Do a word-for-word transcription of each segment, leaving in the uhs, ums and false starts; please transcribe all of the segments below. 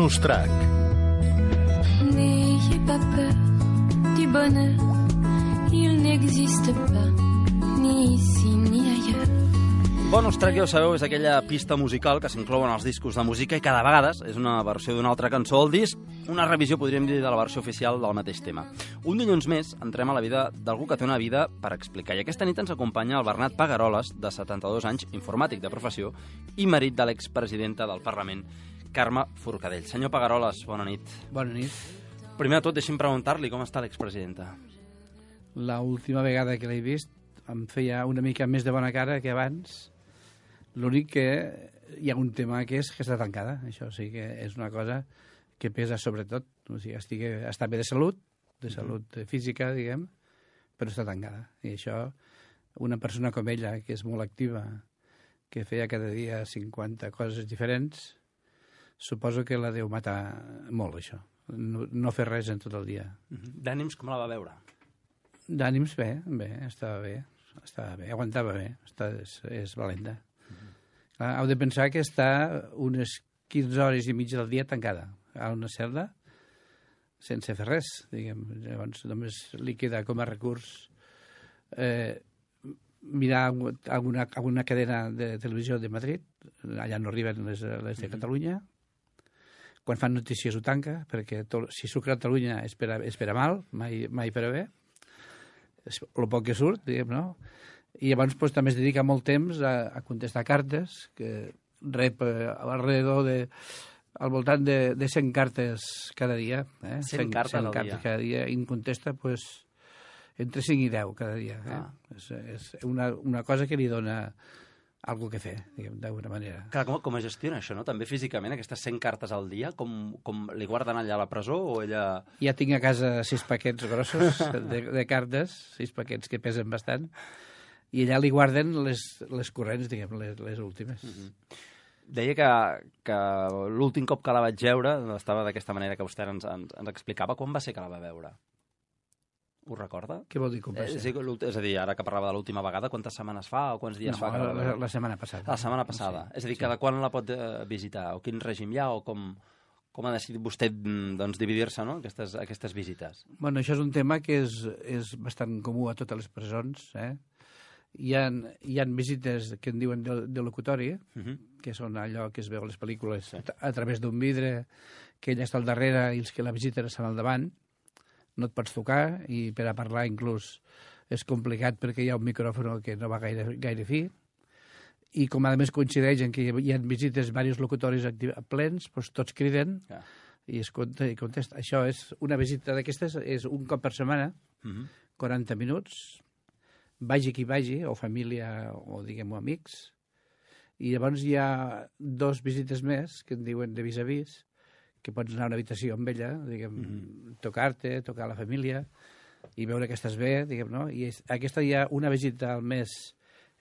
Bonus track. N'ayez pas peur du bonheur, il n'existe pas, ni ici ni ailleurs. Bonus track, ja ho sabeu, és aquella pista musical que s'inclou en els discos de música i cada vegada és una versió d'una altra cançó al disc, una revisió, podríem dir, de la versió oficial del mateix tema. Un dilluns més entrem a la vida d'algú que té una vida per explicar. I aquesta nit ens acompanya el Bernat Pagaroles, de setanta-dos anys, informàtic de professió i marit de l'expresidenta del Parlament, Carme Forcadell. Senyor Pagaroles, bona nit. Bona nit. Primer de tot, deixi'm preguntar-li com està l'expresidenta. L'última vegada que l'he vist em feia una mica més de bona cara que abans. L'únic que hi ha un tema que és que està tancada. Això sí que és una cosa que pesa sobretot. O sigui, estigui, està bé de salut, de salut física, diguem, però està tancada. I això, una persona com ella, que és molt activa, que feia cada dia cinquanta coses diferents, suposo que la deu matar molt, això. No, no fer res en tot el dia. D'ànims, com la va veure? D'ànims, bé, bé, estava bé. Estava bé, aguantava bé. Està, és, és valenta. Clar, heu de pensar que està unes quinze hores i mitja del dia tancada a una cel·la sense fer res, diguem. Llavors només li queda com a recurs eh, mirar alguna, alguna cadena de televisió de Madrid, allà no arriben les, les de Catalunya. Quan fan notícies ho tanca, perquè tot, si surt Catalunya és per a, és per a mal, mai, mai per a bé. És el poc que surt, diguem, no? I llavors pues, també es dedica molt temps a, a contestar cartes, que rep eh, alrededor de, al voltant de, de cent cartes cada dia. Eh? cent cartes al cartes dia. cada dia, i en contesta pues, entre cinc i deu cada dia. Eh? Ah. És, és una, una cosa que li dona algo que fer, diguem, d'alguna manera. Clar, com, com es gestiona això, no? També físicament, aquestes cent cartes al dia, com, com li guarden allà a la presó o ella... Ja tinc a casa sis paquets grossos de, de cartes, sis paquets que pesen bastant, i allà li guarden les, les corrents, diguem, les, les últimes. Mm-hmm. Deia que, que l'últim cop que la vaig veure estava d'aquesta manera que vostè ens, ens, ens explicava. Quan va ser que la va veure? Ho recorda? Què vol dir com va ser? Eh, és a dir, ara que parlava de l'última vegada, quantes setmanes fa o quants dies no, fa? Que la, la, la setmana passada. La setmana passada. Sí, és a dir, sí. Cada quan la pot eh, visitar? O quin règim hi ha? O com, com ha decidit vostè doncs, dividir-se, no?, aquestes, aquestes visites? Bueno, això és un tema que és, és bastant comú a totes les presons, eh? Hi ha, hi ha visites que en diuen de, de locutori, uh-huh. que són allò que es veu a les pel·lícules sí. a, a través d'un vidre, que ella està al darrere i els que la visiten estan al davant. No et pots tocar i per a parlar inclús és complicat perquè hi ha un micròfon que no va gaire, gaire fi. I com a més coincideix en que hi ha visites diversos locutoris plens, doncs tots criden yeah. i es compta i contesta. Això és una visita d'aquestes, és un cop per setmana, uh-huh. quaranta minuts, vagi qui vagi, o família, o diguem-ho amics, i llavors hi ha dos visites més que en diuen de vis-a-vis, que pots anar a una habitació amb ella, diguem, mm-hmm. tocar-te, tocar la família, i veure que estàs bé, diguem, no? I és, aquesta hi ha una visita al mes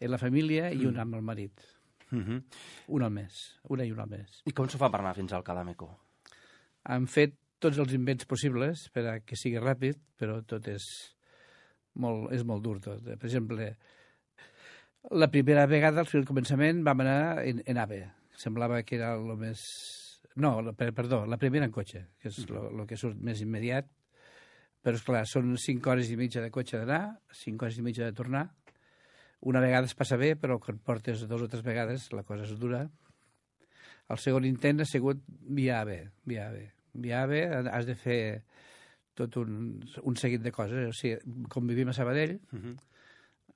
en la família i una amb el marit. Mm-hmm. Una al mes, una i una al mes. I com s'ho fa per anar fins al Calameco? Han fet tots els invents possibles per a que sigui ràpid, però tot és... Molt, és molt dur tot. Per exemple, la primera vegada, al començament, vam anar en, en AVE. Semblava que era el més... No, per, perdó, la primera en cotxe, que és el que surt més immediat. Però, esclar, són cinc hores i mitja de cotxe d'anar, cinc hores i mitja de tornar. Una vegada es passa bé, però quan portes dos o tres vegades la cosa és dura. El segon intent ha sigut via AVE. Via AVE. Via AVE has de fer... tot un, un seguit de coses. O sigui, com vivim a Sabadell, uh-huh.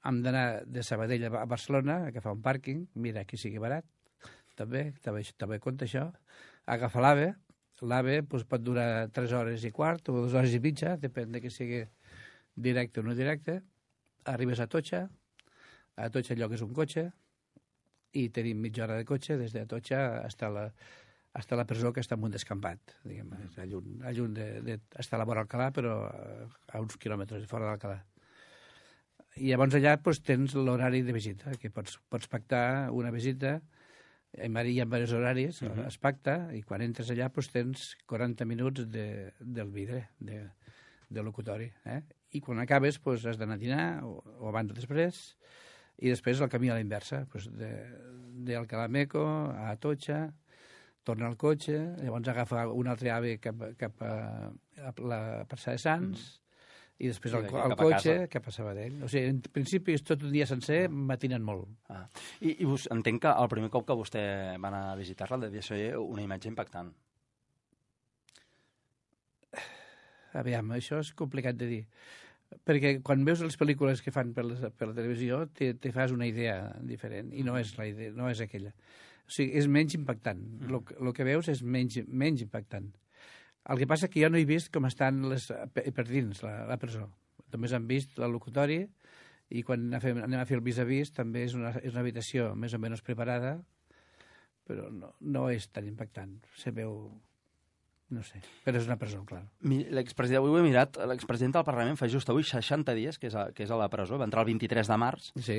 hem d'anar de Sabadell a Barcelona, a agafar un pàrquing, mira, que sigui barat, també, també, també compta això, agafar l'AVE, l'AVE doncs, pot durar tres hores i quart o dues hores i mitja, depèn de que sigui directe o no directe, arribes a Atocha, a Atocha el lloc és un cotxe, i tenim mitja hora de cotxe des d'Atocha fins a la hasta la presó, que està en un descampat, diguem, a lluny, a lluny de, de, està a la vora d'Alcalà, però a uns quilòmetres fora d'Alcalà. I llavors allà doncs, tens l'horari de visita, que pots, pots pactar una visita, hi ha diversos horaris, uh-huh. es pacta, i quan entres allà doncs, tens quaranta minuts de, del vidre, de, de locutori. Eh? I quan acabes doncs, has d'anar a dinar, o, o abans o després, i després el camí a la inversa, doncs, de, de Alcalá Meco a Atocha, torna al cotxe, llavors agafa un altre ave cap, cap a, a la plaça de Sants, mm. i després sí, el, cap el cotxe cap a Sabadell. O sigui, en principi és tot un dia sencer, matinen molt. Ah. I, i us, entenc que el primer cop que vostè va anar a visitar-la devia ser una imatge impactant. Aviam, això és complicat de dir. Perquè quan veus les pel·lícules que fan per la, per la televisió te, te fas una idea diferent, i no és la idea, no és aquella. O sigui, és menys impactant. El mm. que veus és menys, menys impactant. El que passa que jo no he vist com estan les, per dins la, la presó. Només han vist el locutori, i quan anem a fer el vis-a-vis també és una, és una habitació més o menys preparada, però no, no és tan impactant. Se veu... No sé, però és una presó, clar. L'expresident, avui ho he mirat, l'expresident del Parlament fa just avui seixanta dies que és a, que és a la presó, va entrar el vint-i-tres de març. Sí.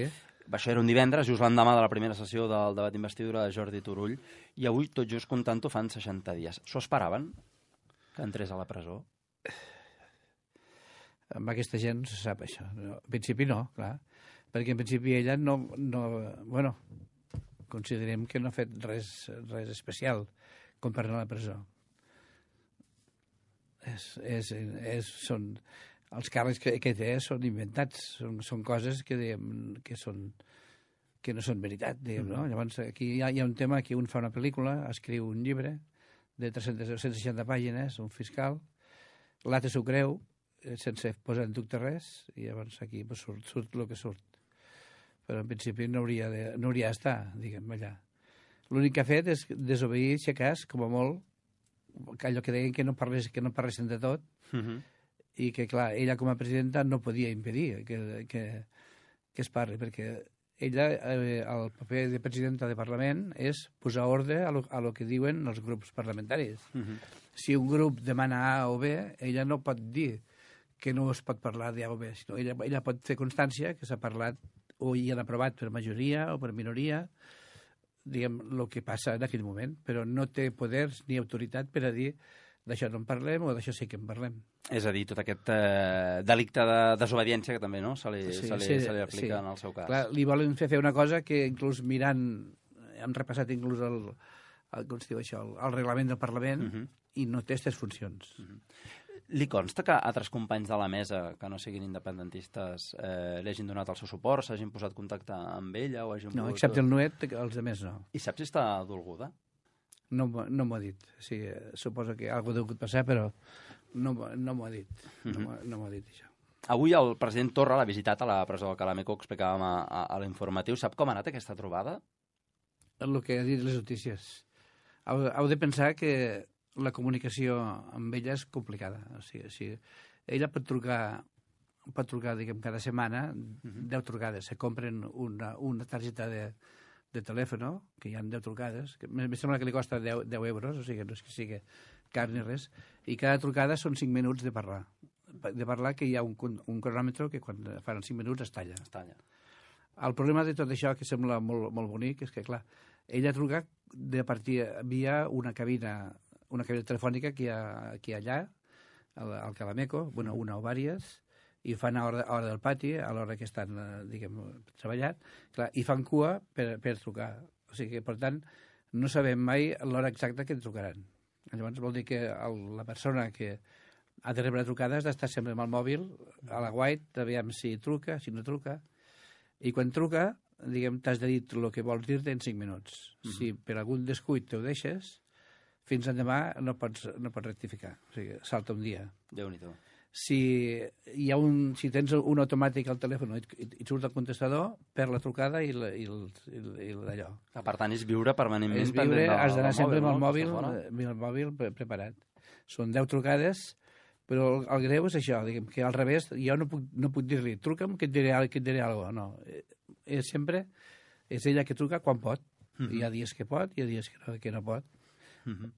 Això era un divendres, just l'endemà de la primera sessió del debat d'investidura de Jordi Turull, i avui, tot just comptant-ho, fan seixanta dies. S'ho esperaven, que entrés a la presó? Amb aquesta gent no se sap això. No, en principi no, clar, perquè en principi ella no... no bueno, considerem que no ha fet res, res especial com per anar a la presó. És, és, és, són, els càrrecs que, que té són inventats, són, són coses que, diguem, que, són, que no són veritat. Diguem, no? Llavors, aquí hi ha, hi ha un tema que un fa una pel·lícula, escriu un llibre de tres-centes seixanta pàgines, un fiscal, l'altre s'ho creu, sense posar en dubte res, i llavors aquí pues, surt, surt el que surt. Però en principi no hauria de, no hauria d'estar, diguem, allà. L'únic que ha fet és desobeir, si a cas, com a molt, allò que deien que no, parlés, que no parlessin de tot, uh-huh. i que, clar, ella com a presidenta no podia impedir que, que, que es parli, perquè ella, eh, el paper de presidenta de Parlament és posar ordre a lo, a lo que diuen els grups parlamentaris. Uh-huh. Si un grup demana A o B, ella no pot dir que no es pot parlar d'A o B, sinó ella, ella pot fer constància que s'ha parlat o hi han aprovat per majoria o per minoria, diguem, el que passa en aquell moment, però no té poders ni autoritat per a dir d'això no en parlem o d'això sí que en parlem. És a dir, tot aquest eh, delicte de desobediència que també no, se, li, sí, se, li, sí, se li aplica sí. en el seu cas. Clar, li volen fer fer una cosa que inclús mirant, hem repassat inclús el, el, com es diu això, el, el reglament del Parlament, uh-huh. i no té aquestes funcions. Uh-huh. Li consta que altres companys de la mesa, que no siguin independentistes, eh, li hagin donat el seu suport, s'hagin posat en contacte amb ella? O hagin no, pogut... excepte el Nuet, els altres no. I saps si està dolguda? No, no m'ho ha dit. Sí, suposo que alguna cosa ha degut passar, però no, no m'ho ha dit. Uh-huh. No, no m'ho ha dit, això. Avui el president Torra l'ha visitat a la presó del Calameco, explicàvem a, a, a l'informatiu. Sap com ha anat aquesta trobada? El que ha dit les notícies. Heu, heu de pensar que la comunicació amb ella és complicada. O sigui, si ella pot trucar, pot trucar diguem, cada setmana, uh-huh. deu trucades. Se compren una, una targeta de, de telèfon, que hi ha deu trucades, que em sembla que li costa deu, deu euros, o sigui, no és que sigui car ni res, i cada trucada són cinc minuts de parlar. De parlar que hi ha un, un cronòmetre que quan fan cinc minuts es talla. Es talla. El problema de tot això, que sembla molt, molt bonic, és que, clar, ella truca de partir via una cabina una cabina telefònica que hi ha, que hi ha allà, al, al Calameco, bueno, una o vàries, i ho fan a hora, a hora del pati, a l'hora que estan, diguem, treballant, clar, i fan cua per, per trucar. O sigui que, per tant, no sabem mai l'hora exacta que trucaran. Llavors vol dir que el, la persona que ha de rebre trucades ha d'estar sempre amb el mòbil, a la guait, aviam si truca, si no truca, i quan truca, diguem, t'has de dir el que vols dir-te en cinc minuts. Mm-hmm. Si per algun descuit te ho deixes, fins endemà no pots, no pots rectificar. O sigui, salta un dia. Déu-n'hi-do. Si, hi ha un, si tens un automàtic al telèfon i, i surt el contestador, per la trucada i, la, i, el, i, el, i d'allò. Per tant, és viure permanentment... És viure, has d'anar sempre amb el mòbil, amb el mòbil preparat. Són deu trucades, però el, el greu és això, diguem, que al revés, jo no puc, no puc dir-li, truca'm que et diré, que et diré alguna cosa. No, és sempre, és ella que truca quan pot. Mm-hmm. Hi ha dies que pot, hi ha dies que no, que no pot. Mm-hmm.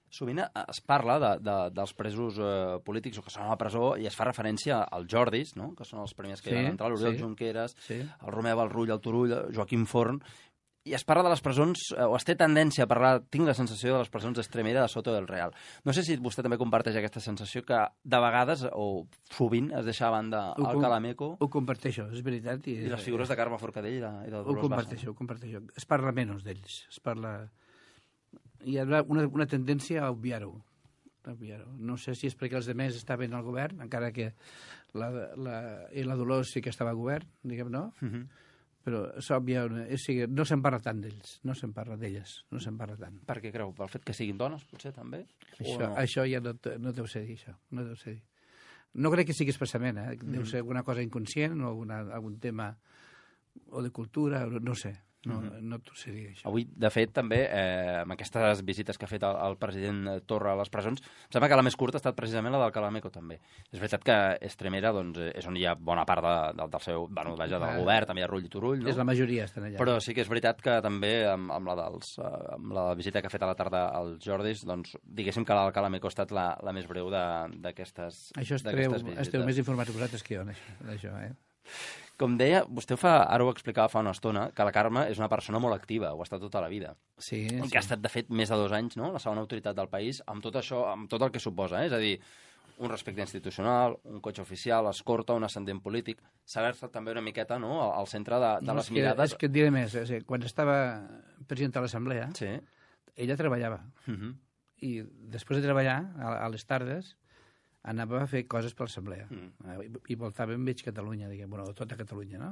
Sovint es parla de, de, dels presos eh, polítics o que són a la presó i es fa referència als Jordis, no? Que són els primers que sí, hi van entrar, l'Oriol sí, Junqueras, sí. el Romeu, el Rull, el Turull, el Joaquim Forn, i es parla de les presons, eh, o es té tendència a parlar, tinc la sensació de les presons d'Estremera, de Soto del Real. No sé si vostè també comparteix aquesta sensació que de vegades, o sovint, es deixa a banda ho el Calameco... Ho comparteixo, és veritat. I, I les figures de Carme Forcadell i de, i de Dolors Ho comparteixo, ho comparteixo. Es parla menys d'ells, es parla... hi ha una, una tendència a obviar-ho. obviar-ho. No sé si és perquè els demés estaven al govern, encara que la, la, i la Dolors sí que estava al govern, diguem, no? Uh -huh. Però s'òbvia, o sigui, no se'n parla tant d'ells, no se'n parla d'elles, no se'n parla tant. Per què creu? Pel fet que siguin dones, potser, també? Això, no? això ja no, no deu ser dir, això. No deu ser dir. No crec que sigui expressament, eh? Deu ser alguna cosa inconscient o alguna, algun tema o de cultura, no sé. No, mm-hmm. no t'ho sé dir, això. Avui, de fet, també, eh, amb aquestes visites que ha fet el, el president Torra a les presons, em sembla que la més curta ha estat precisament la del Calameco, també. És veritat que Estremera doncs, és on hi ha bona part de, de, del seu, bueno, vaja, del govern, també hi ha Rull i Turull, no? És la majoria, estan allà. Però sí que és veritat que també, amb, amb, la, dels, amb la visita que ha fet a la tarda als Jordis, doncs, diguéssim que la del Calameco ha estat la, la més breu d'aquestes visites. Això esteu, esteu més informats vosaltres que jo, d'això, eh? Com deia, vostè fa, ara ho explicava fa una estona, que la Carme és una persona molt activa, ho ha estat tota la vida. Sí, I sí. que ha estat, de fet, més de dos anys, no?, la segona autoritat del país, amb tot això, amb tot el que suposa, eh? És a dir, un respecte institucional, un cotxe oficial, escorta, un ascendent polític, saber-se també una miqueta, no?, al centre de, de no, les és que, mirades... És que et diré més, és que quan estava president de l'Assemblea, sí. ella treballava. Uh -huh. I després de treballar, a, a les tardes, anava a fer coses per l'Assemblea. Mm. I, i voltava en mig Catalunya, diguem, bueno, tota Catalunya, no?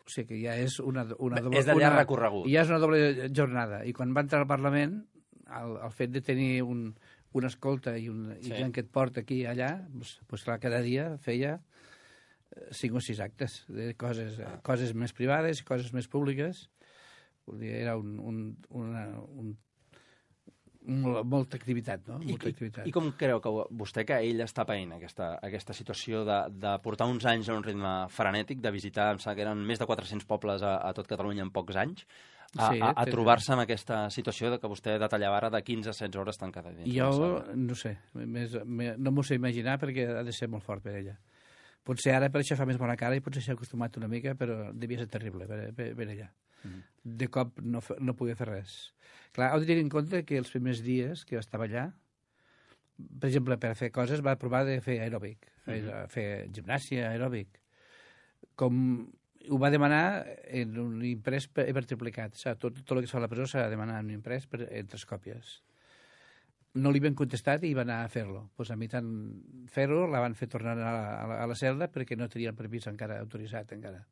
O sigui que ja és una, una doble... És de llarg una, recorregut. Ja és una doble jornada. I quan va entrar al Parlament, el, el fet de tenir un, una escolta i, un, sí. i gent que et porta aquí i allà, doncs, doncs clar, cada dia feia cinc o sis actes de coses, ah. coses més privades i coses més públiques. Era un, un, una, un molta activitat, no? I, molta activitat. I, I com creu que vostè, que ell està paint aquesta, aquesta situació de, de portar uns anys a un ritme frenètic, de visitar, em sembla que eren més de quatre-cents pobles a, a tot Catalunya en pocs anys, a, sí, a, a trobar-se en aquesta situació de que vostè detallava ara de quinze a setze hores tancada dins? Jo no sé, més, més, no m'ho sé imaginar perquè ha de ser molt fort per ella. Potser ara per això fa més bona cara i potser s'ha acostumat una mica, però devia ser terrible per, per, per ella. Mm. De cop no, no podia fer res. Clar, heu de tenir en compte que els primers dies que estava allà, per exemple, per fer coses, va provar de fer aeròbic, fer, mm. fer gimnàsia aeròbic. Com ho va demanar en un imprès per, per triplicat. O sigui, tot, tot el que es fa a la presó s'ha de demanar en un imprès per, en tres còpies. No li van contestat i va anar a fer-lo. Pues a mi tant fer-ho la van fer tornar a la, a la, a la celda perquè no tenia el permís encara autoritzat encara.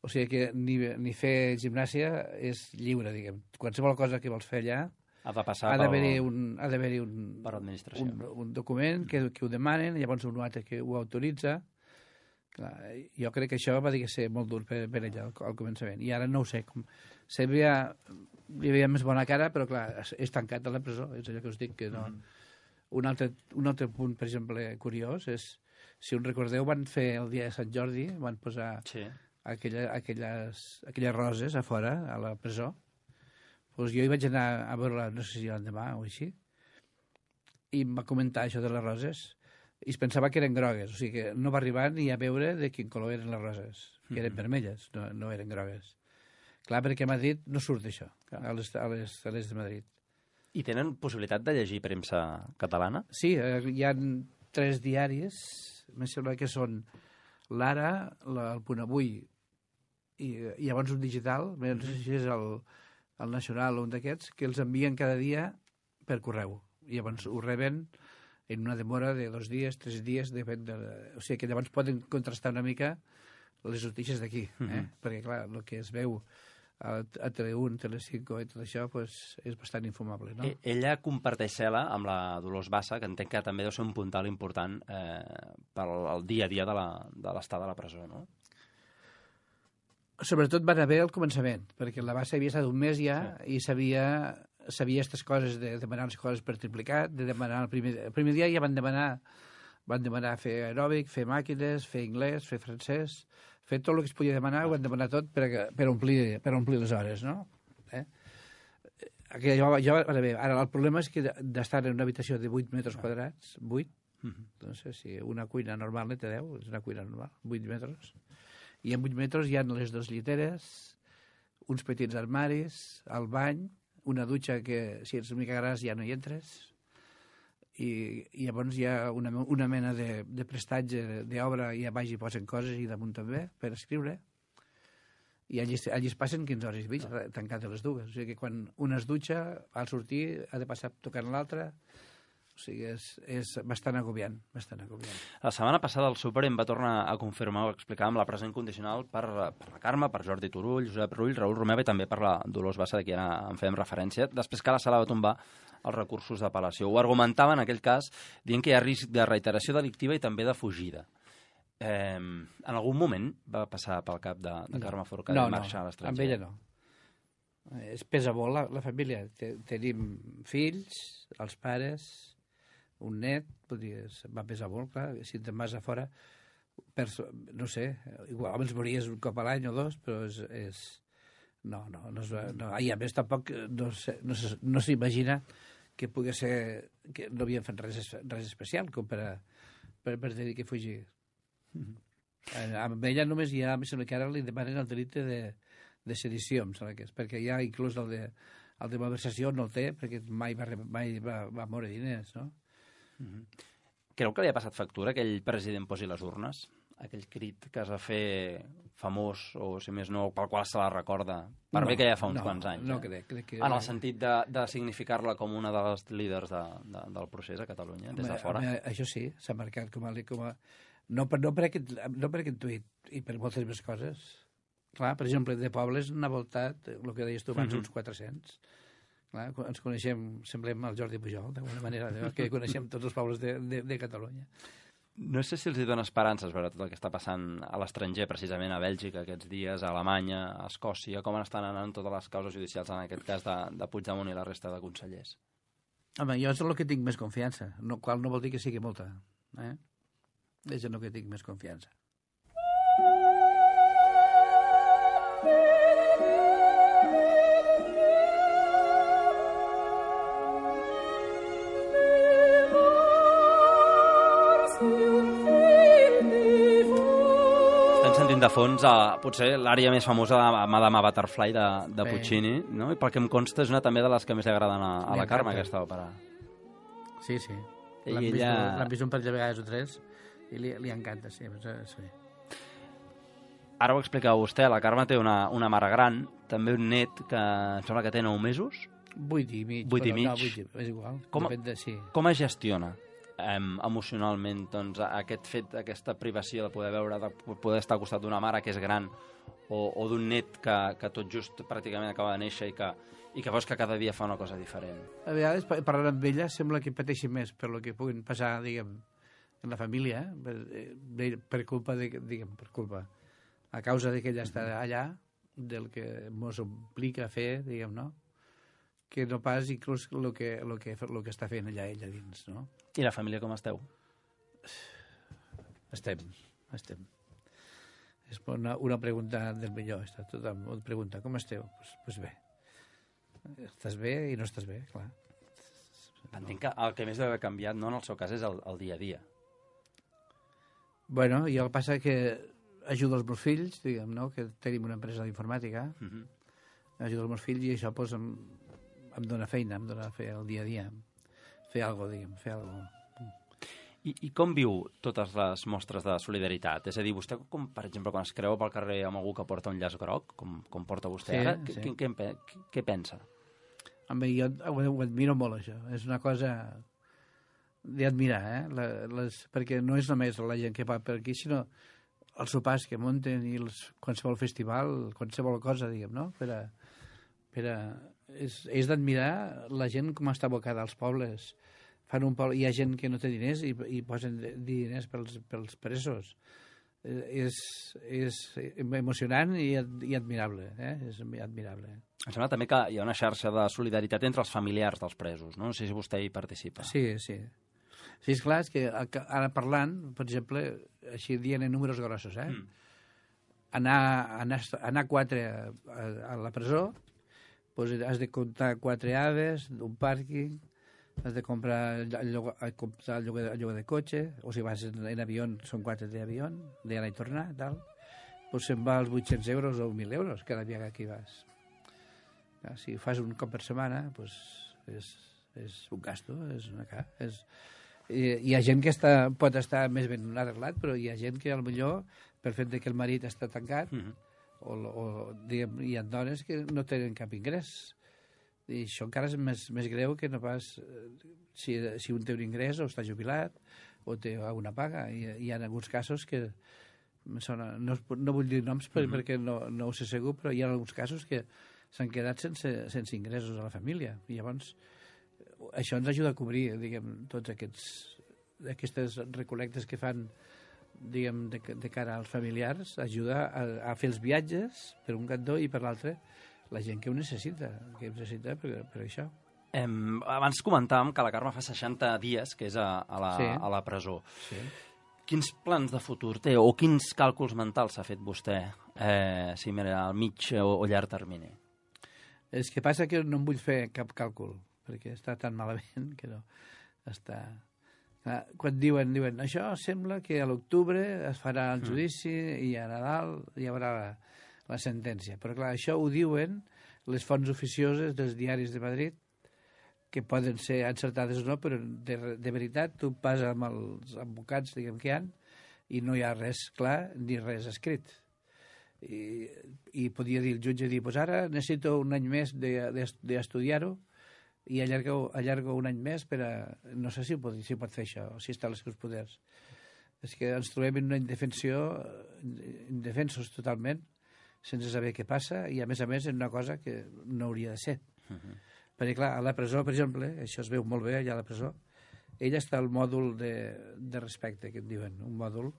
O sigui que ni, ni fer gimnàsia és lliure, diguem. Qualsevol cosa que vols fer allà ha de passar ha d'haver-hi un, ha d'haver-hi un, per administració. un, un document que, que ho demanen, llavors un altre que ho autoritza. Clar, jo crec que això va dir que ser molt dur per, per ella al, al començament. I ara no ho sé. Com, sempre hi havia més bona cara, però clar, és tancat a la presó. És allò que us dic que no... Mm. Un, altre, un altre punt, per exemple, curiós és, si us recordeu, van fer el dia de Sant Jordi, van posar... Sí. Aquella, aquelles, aquelles roses a fora, a la presó. Pues jo hi vaig anar a veure-la, no sé si l'endemà o així, i em va comentar això de les roses, i es pensava que eren grogues, o sigui que no va arribar ni a veure de quin color eren les roses, que eren mm-hmm. vermelles, no, no eren grogues. Clar, perquè a Madrid no surt això, a les, a les, a les de Madrid. I tenen possibilitat de llegir premsa catalana? Sí, hi ha tres diaris, em sembla que són l'Ara, el Punt Avui, i, i llavors un digital, no sé si és el, el Nacional o un d'aquests, que els envien cada dia per correu. I llavors ho reben en una demora de dos dies, tres dies, depèn de... O sigui que llavors poden contrastar una mica les notícies d'aquí, eh? Uh-huh. Perquè, clar, el que es veu a, a Tele un, Tele cinco i tot això pues, és bastant infumable, no? E ella comparteix cel·la amb la Dolors Bassa, que entenc que també deu ser un puntal important eh, per al dia a dia de l'estat de la presó, no? Sobretot van haver al començament, perquè la Bassa havia estat un mes ja sí. i sabia sabia aquestes coses de demanar les coses per triplicat, de demanar el primer, el primer dia ja van demanar van demanar fer aeròbic, fer màquines, fer anglès, fer francès, fer tot el que es podia demanar, ho van demanar tot per, per, omplir, per omplir les hores, no? Eh? Jo, jo, ara, el problema és que d'estar en una habitació de vuit metres quadrats, vuit, uh-huh. no sé si una cuina normal ne té deu, és una cuina normal, vuit metres, i en vuit metres hi ha les dues lliteres, uns petits armaris, el bany, una dutxa que si ets una mica gras ja no hi entres, i, i llavors hi ha una, una mena de, de prestatge d'obra i a baix hi posen coses i damunt també per escriure, i allí, allí es passen quinze hores i mig, tancat a les dues. O sigui que quan una es dutxa, al sortir ha de passar tocant l'altra. O sigui, és, és bastant agobiant, bastant agobiant. La setmana passada el Suprem va tornar a confirmar, ho explicàvem, la pressió incondicional per, per la Carme, per Jordi Turull, Josep Rull, Raül Romeva i també per la Dolors Bassa, de qui ara en fèiem referència, després que la sala va tombar els recursos d'apel·lació. Ho argumentava en aquell cas dient que hi ha risc de reiteració delictiva i també de fugida. Eh, en algun moment va passar pel cap de, de Carme Forcada no, de marxar no, a l'estranger? Amb ella no. Es pesa molt la, la família. Tenim fills, els pares, un net, vull dir, va pesar molt, clar, si te'n vas a fora, perso, no sé, igual ens mories un cop a l'any o dos, però és... és no, no, no, és, no, i a més tampoc no, sé, no, no s'imagina que pugui ser, que no havien fet res, res especial com per, a, per, per dir que fugir. Mm-hmm. Amb ella només hi ha, em sembla que ara li demanen el delicte de, de sedició, em sembla que és, perquè ja inclús el de, el de malversació no el té, perquè mai va, mai va, va moure diners, no? Mm-hmm. Creu que li ha passat factura que aquell president posi les urnes? Aquell crit que es va fer famós, o si més no, pel qual se la recorda, per no, bé que ja fa uns no, quants anys. No, eh? crec, crec que... En el sentit de, de significar-la com una dels líders de, de, del procés a Catalunya, des de fora. Home, això sí, s'ha marcat com a... Com a no, per, no, per aquest, no per aquest tuit, i per moltes més coses. Clar, per exemple, de pobles n'ha voltat, el que deies tu abans, mm-hmm. uns quatre-cents. Clar, ens coneixem, semblem el Jordi Pujol, d'alguna manera, que coneixem tots els pobles de, de, de Catalunya. No sé si els dona esperances veure tot el que està passant a l'estranger, precisament a Bèlgica aquests dies, a Alemanya, a Escòcia, com estan anant totes les causes judicials, en aquest cas de, de Puigdemont i la resta de consellers. Home, jo és el que tinc més confiança, no, qual no vol dir que sigui molta. Eh? És el que tinc més confiança. De fons, a, potser l'àrea més famosa de Madame Butterfly de, de Puccini, no? I pel que em consta és una també de les que més li agraden a, a la Carme, aquesta òpera. Sí, sí. L'han vist, ella... vist un parell de vegades o tres i li, li encanta, sí, sí. Ara ho explicava vostè, la Carme té una, una mare gran, també un net que em sembla que té nou mesos. Vuit i mig. Vuit i mig. No, vuit i, és igual. Com, Depèn de, sí. com es gestiona Um, emocionalment, doncs, aquest fet, aquesta privació de poder veure, de poder estar al costat d'una mare que és gran o, o d'un net que, que tot just pràcticament acaba de néixer i que, i que veus que cada dia fa una cosa diferent? A vegades, parlant amb ella, sembla que pateixi més per lo que puguin passar, diguem, en la família, eh? per, per culpa de, diguem, per culpa, a causa de que ella està allà, del que mos implica fer, diguem, no? Que no pas inclús el que, lo que, lo que està fent allà ella dins, no? I la família com esteu? Estem, estem. És una, una pregunta del millor. Està tothom et pregunta, com esteu? Pues, pues bé. Estàs bé i no estàs bé, clar. Entenc que el que més deu haver canviat, no, en el seu cas, és el, el dia a dia. Bueno, i el que passa que ajudo els meus fills, diguem, no? Que tenim una empresa d'informàtica. Uh-huh. Ajudo els meus fills i això pues, em, em dona feina, em dona fer el dia a dia. Fer alguna cosa, diguem, fer alguna cosa. I, I com viu totes les mostres de solidaritat? És a dir, vostè, com, per exemple, quan es creu pel carrer amb algú que porta un llaç groc, com, com porta vostè sí, ara, sí. Què, què, què, què pensa? Home, jo ho, ho admiro molt, això. És una cosa d'admirar, eh? La, les, perquè no és només la gent que va per aquí, sinó els sopars que munten i els, qualsevol festival, qualsevol cosa, diguem, no? Per a, per a, és és d'admirar la gent com està abocada als pobles. Fan un poble, hi ha gent que no té diners i, i posen diners pels, pels presos. Eh, és, és emocionant i, i admirable, eh? És admirable. Em sembla també que hi ha una xarxa de solidaritat entre els familiars dels presos, no? No sé si vostè hi participa. Sí, sí. Sí, és clar, és que ara parlant, per exemple, així dient en números grossos, eh? Mm. Anar, anar, anar quatre a, a, a la presó, doncs has de comptar quatre aves, un pàrquing, has de comprar el lloguer, comprar el lloguer, el lloguer de cotxe, o si vas en, en avió, són quatre d'avió, d'anar i tornar, tal. Doncs se'n va als vuit-cents euros o mil euros cada vegada que hi vas. Si fas un cop per setmana, doncs és, és un gasto, és una cara. És... I, hi ha gent que està, pot estar més ben arreglat, però hi ha gent que potser per fet que el marit està tancat, mm-hmm. o, o diguem, hi ha dones que no tenen cap ingrés. I això encara és més, més greu que no pas si, si un té un ingrés o està jubilat o té alguna paga. I hi ha alguns casos que sona, no, no vull dir noms per, mm-hmm. perquè no, no ho sé segur, però hi ha alguns casos que s'han quedat sense, sense ingressos a la família. I llavors això ens ajuda a cobrir, diguem, tots aquests aquestes recol·lectes que fan, diguem, de, de cara als familiars, ajuda a, a fer els viatges per un cantó i per l'altre la gent que ho necessita, que ho necessita per, per això. Eh, abans comentàvem que la Carme fa seixanta dies que és a, a, la, sí. a la presó. Sí. Quins plans de futur té o quins càlculs mentals s'ha fet vostè, eh, si mira al mig o, o llarg termini? És que passa que no em vull fer cap càlcul, perquè està tan malament que no està... Quan diuen, diuen, això sembla que a l'octubre es farà el judici mm. i a Nadal hi haurà la, la sentència. Però clar, això ho diuen les fonts oficioses dels diaris de Madrid, que poden ser encertades o no, però de, de veritat tu pas amb els advocats, diguem que hi ha, i no hi ha res clar ni res escrit. I, i podia dir el jutge, dir, pues ara necessito un any més d'estudiar-ho, i allarga, allarga un any més per a... No sé si pot, si pot fer això, o si està als seus poders. És que ens trobem en una indefensió, indefensos totalment, sense saber què passa, i a més a més en una cosa que no hauria de ser. Uh-huh. Perquè, clar, a la presó, per exemple, això es veu molt bé allà a la presó, ella està al mòdul de, de respecte, que en diuen, un mòdul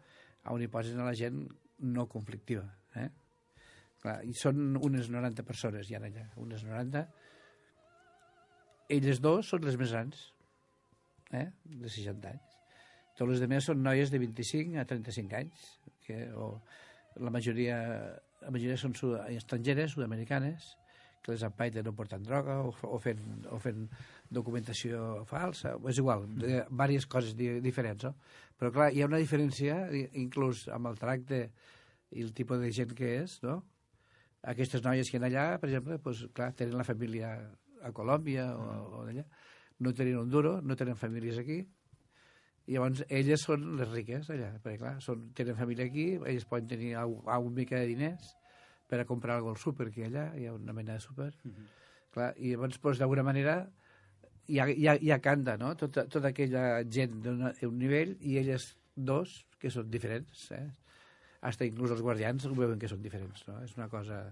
on hi posen a la gent no conflictiva. Eh? Clar, i són unes noranta persones, hi ha allà, unes noranta. Elles dos són les més grans, eh? de seixanta anys. Tots les altres són noies de vint-i-cinc a trenta-cinc anys, que, o la majoria, la majoria són sud estrangeres, sud-americanes, que les empaiten no portant droga o, o, fent, o fent documentació falsa. És igual, de, diverses coses di, diferents. No? Però clar, hi ha una diferència, inclús amb el tracte i el tipus de gent que és, no? Aquestes noies que hi ha allà, per exemple, doncs, clar, tenen la família a Colòmbia o, o d'allà, no tenen un duro, no tenen famílies aquí, i llavors elles són les riques allà, perquè clar, són, tenen família aquí, elles poden tenir una mica de diners per a comprar alguna cosa al súper, que hi ha allà, hi ha una mena de súper, uh-huh. clar, i llavors, doncs, d'alguna manera, hi ha, hi ha, hi ha canta, no?, tota, tota aquella gent d'un nivell, i elles dos, que són diferents, eh? Hasta inclús els guardians ho veuen que són diferents, no? És una cosa...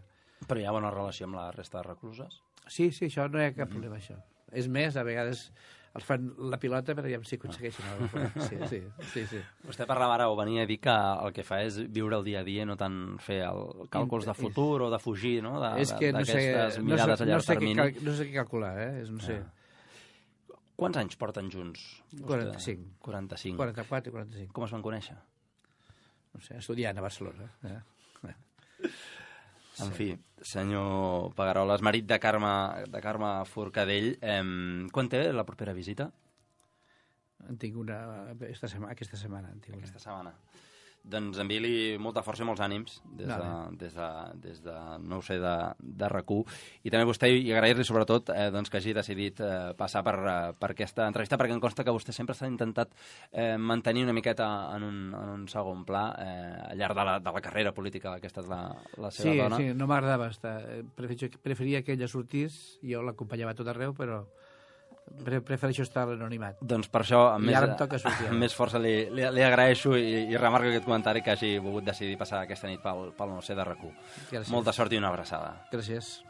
Però hi ha bona relació amb la resta de recluses? Sí, sí, això no hi ha cap mm-hmm. problema, això. És més, a vegades els fan la pilota per veure si aconsegueixen alguna cosa. Sí, sí, sí, sí. Vostè parlava ara o venia a dir que el que fa és viure el dia a dia, no tant fer el càlculs de futur o de fugir, no?, d'aquestes no sé, mirades no sé, a llarg no sé termini. Cal, no sé què calcular, eh? No sé. Ah. Quants anys porten junts? quaranta-cinc. quaranta-cinc. quaranta-quatre i quaranta-cinc. Com es van conèixer? No sé, estudiant a Barcelona. Eh? En fi, senyor Pagaroles, marit de Carme, de Carme Forcadell, eh, quan té la propera visita? En tinc una aquesta setmana. Aquesta setmana, en tinc aquesta una. setmana. Doncs enviï-li molta força i molts ànims des de, des de, des de no ho sé, de, de RAC u. I també a vostè i agrair-li sobretot eh, doncs, que hagi decidit eh, passar per, eh, per aquesta entrevista, perquè em consta que vostè sempre s'ha intentat eh, mantenir una miqueta en un, en un segon pla eh, al llarg de la, de la carrera política, aquesta és la, la seva sí, dona. Sí, no m'agradava estar. Preferia que ella sortís, jo l'acompanyava a tot arreu, però prefereixo estar a l'anonimat. Doncs per això, amb, més, sortir, amb més força li, li, li agraeixo i, i remarco aquest comentari que hagi volgut decidir passar aquesta nit pel, pel no sé de RAC u. Gràcies. Molta sort i una abraçada. Gràcies.